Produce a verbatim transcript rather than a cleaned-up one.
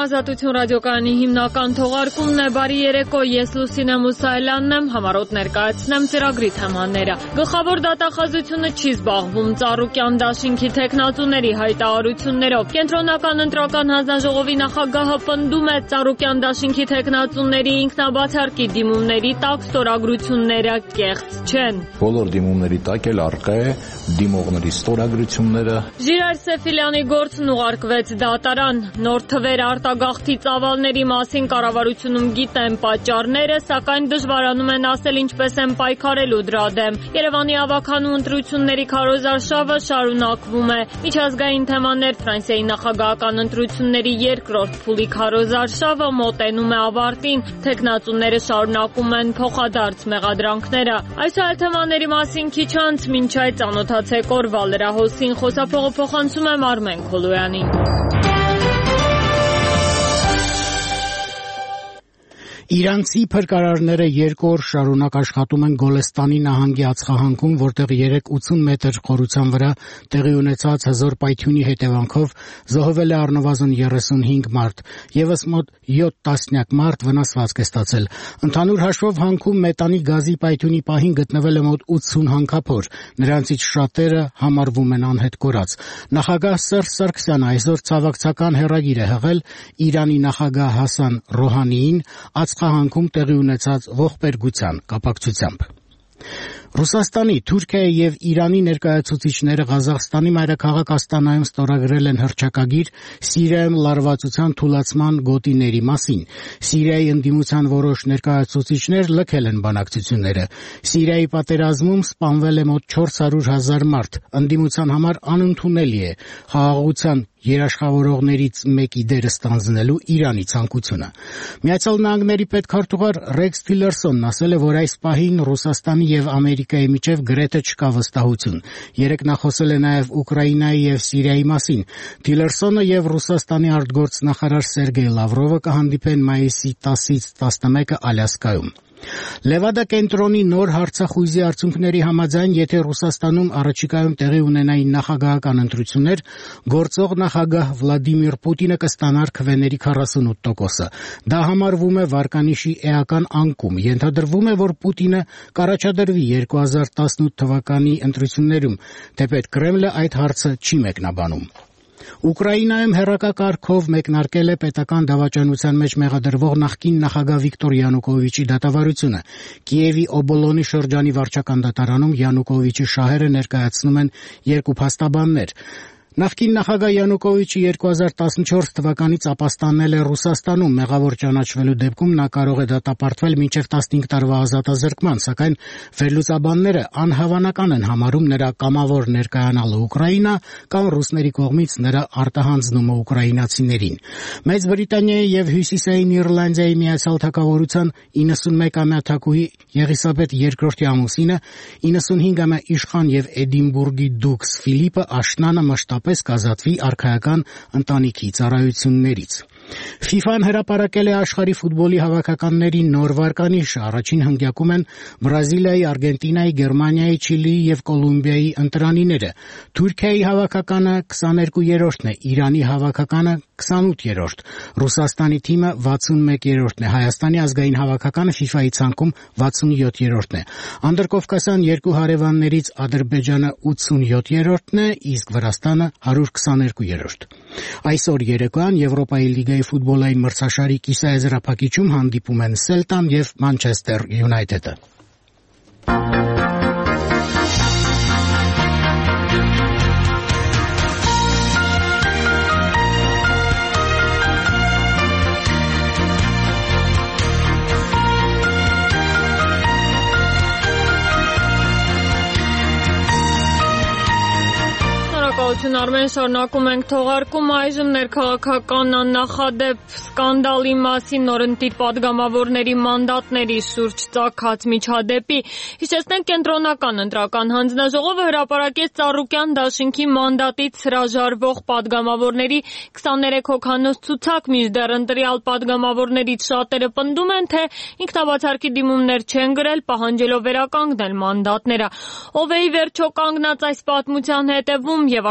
Ազատություն ռադիոկայանի հիմնական թողարկումն է, բարի երեկո, ես Լուսինե Մուսայելյանն եմ, համառոտ ներկայացնեմ ծրագրի թեմաները։ Գլխավոր դատախազությունը չի զբաղվում Ծառուկյան դաշինքի թեկնածուների հայտարարություններով։ Կենտրոնական ընտրական հանձնաժողովի նախագահը պնդում է Ծառուկյան դաշինքի թեկնածուների ինքնաբացարկի դիմումների տակ ստորագրությունները կեղծ չեն։ Բոլոր դիմումների տակ էլ առկա է դիմողների ստորագրությունները։ Ժիրայր Սեֆիլյանի գործն ուղարկվեց դատարան, նոր թվեր արտագաղթի ծավալների մասին կառավարությունում գիտեն պատճառները, սակայն դժվարանում են ասել ինչպես են պայքարելու դրա դեմ։ Երևանի ավագանու ընտրությունների քարոզարշավը շարունակվում է։ Միջազգային թեմաներ Ֆրանսիայի նախագահական ընտրությունների երկրորդ փուլի քարոզարշավը մոտենում է ավարտին, թեկնածուները շարունակում են փոխադարձ մեղադրանքները։ Այս այլ թեմաների մասին քիչ անց մինչ այդ ծանոթացեք օրվա լրահոսին, խոսափողը փոխանցում եմ Արմեն Քոլոյանին։ Իրանցի փրկարարները երկու օր շարունակ աշխատում են Գոլեստանի նահանգի ածխահանքում, որտեղ երեկ ութուն մետր խորության վրա տեղի ունեցած հզոր պայթյունի հետևանքով զոհվել է առնվազն երեսունհինգ մարդ, եւս մոտ յոթ տասնյակ մարդ վնասվածք է ստացել։ Ընդհանուր հաշվով հանքում մետանի գազի պայթյունի պահին գտնվել է մոտ ութսուն հանքափոր, նրանցից շատերը համարվում են անհետ կորած։ Նախագահ Սերժ Սարգսյանը այսօր ցավակցական հեռագիր է հղել Իրանի նախագահ Հասան Ռոհանիին ածխահանքում տեղի ունեցած ողբերգության կապակցությամբ։ Ռուսաստանի, Թուրքիայի եւ Իրանի ներկայացուցիչները Ղազախստանի մայրաքաղաք Աստանայում ստորագրել են հռչակագիր Սիրիայում լարվածության թուլացման գոտիների մասին։ Սիրիայի ընդդիմության որոշ ներկայացուցիչներ լքել են բանակցությունները։ Սիրիայի պատերազմում սպանվել է մոտ չորս հարյուր հազար մարդ, ընդդիմության համար անընդունելի է խաղաղության երաշխավորողներից մեկի դերը ստանձնելու Իրանի ցանկությունը։ Միացյալ Նահանգների պետքարտուղար Ռեքս Թիլերսոնն ասել է, որ այս պահին Ռուսաստանի եւ Ամերիկայի միջև գրեթե չկա վստահություն։ Երեկ նա խոսել է նաեւ Ուկրաինայի եւ Սիրիայի մասին։ Թիլերսոնը եւ Ռուսաստանի արտգործնախարար Սերգեյ Լավրովը կհանդիպեն մայիսի տասից տասնմեկը Ալյասկայում։ Լևադա կենտրոնի նոր հարցախույզի արդյունքների համաձայն, եթե Ռուսաստանում առաջիկայում տեղի ունենային նախագահական ընտրություններ, գործող նախագահ Վլադիմիր Պուտինը կստանար քվեների քառասունութ տոկոսը։ Դա համարվում է վարկանիշի էական անկում։ Ենթադրվում է, որ Պուտինը կառաջադրվի երկու հազար տասնութ թվականի ընտրություններում, թեպետ Կրեմլը այդ հարցը չի մեկնաբանում։ Ուկրաինայում հեռակակարգով մեկնարկել է պետական դավաճանության մեջ մեղադրվող նախկին նախագահ Վիկտոր Յանուկովիչի դատավարությունը։ Կիևի Օբոլոնի շրջանի վարչական դատարանում Յանուկովիչի շահերը ներկայացնում են երկու փաստաբաններ։ Նախկին նախագահ Յանուկովիչը երկու հազար տասնչորս թվականից ապաստանել է Ռուսաստանում, մեղավոր ճանաչվելու դեպքում նա կարող է դատապարտվել մինչև տասնհինգ տարվա ազատազրկման, սակայն վերլուծաբանները անհավանական են համարում նրա կամավոր ներկայանալը Ուկրաինա կամ ռուսների կողմից նրա արտահանձնումը ուկրաինացիներին։ Մեծ Բրիտանիայի եւ Հյուսիսային Իռլանդիայի Միացյալ Թագավորության իննսունմեկամյա թագուհի Եղիսաբեթ երկրորդի ամուսինը, իննսունհինգամյա իշխան եւ Էդինբուրգի դուքս Ֆիլիպը աշնանը մշտապես կազատվի արքայական ընտանիքի ծառայություններից։ ֆիֆան հրապարակել է աշխարհի ֆուտբոլի հավաքականների նոր վարկանիշը։ Առաջին հնգյակում են Բրազիլիայի, Արգենտինայի, Գերմանիայի, Չիլիի եւ Կոլումբիայի ընտրանիները։ Թուրքիայի հավաքականը քսաներկուերորդն է, Իրանի հավաքականը քսանութերորդ, Ռուսաստանի թիմը վաթսունմեկերորդն է, Հայաստանի ազգային հավաքականը ֆիֆայի ցանկում վաթսունյոթերորդն է։ Անդրկովկասյան երկու հարևաններից Ադրբեջանը ութսունյոթերորդն է, իսկ Վրաստանը հարյուր քսաներկուերորդ։ Այսօր երեկոյան Եվրոպայի լիգայի ֆուտբոլային մրցաշարի կիսաեզրափակիչում հանդիպում են Սելտան եւ Մանչեսթեր Յունայթեդը։ Արմեն, շարունակում ենք թողարկումը, այժմ ներքաղաքական աննախադեպ սկանդալի մասին նորընտիր պատգամավորների մանդատների շուրջ ծագած միջադեպի։ Հիշեցնենք, Կենտրոնական ընտրական հանձնաժողովը հրապարակեց Ծառուկյան դաշինքի մանդատից հրաժարվող պատգամավորների քսաներեք հոգանոց ցուցակ, մինչդեռ ընտրյալ պատգամավորներից շատերը պնդում են, թե ինքնաբացարկի դիմումներ չեն գրել, պահանջելով վերականգնել մանդատները։ Ով է ի վերջո կանգնած այս պատմության հետևում եւ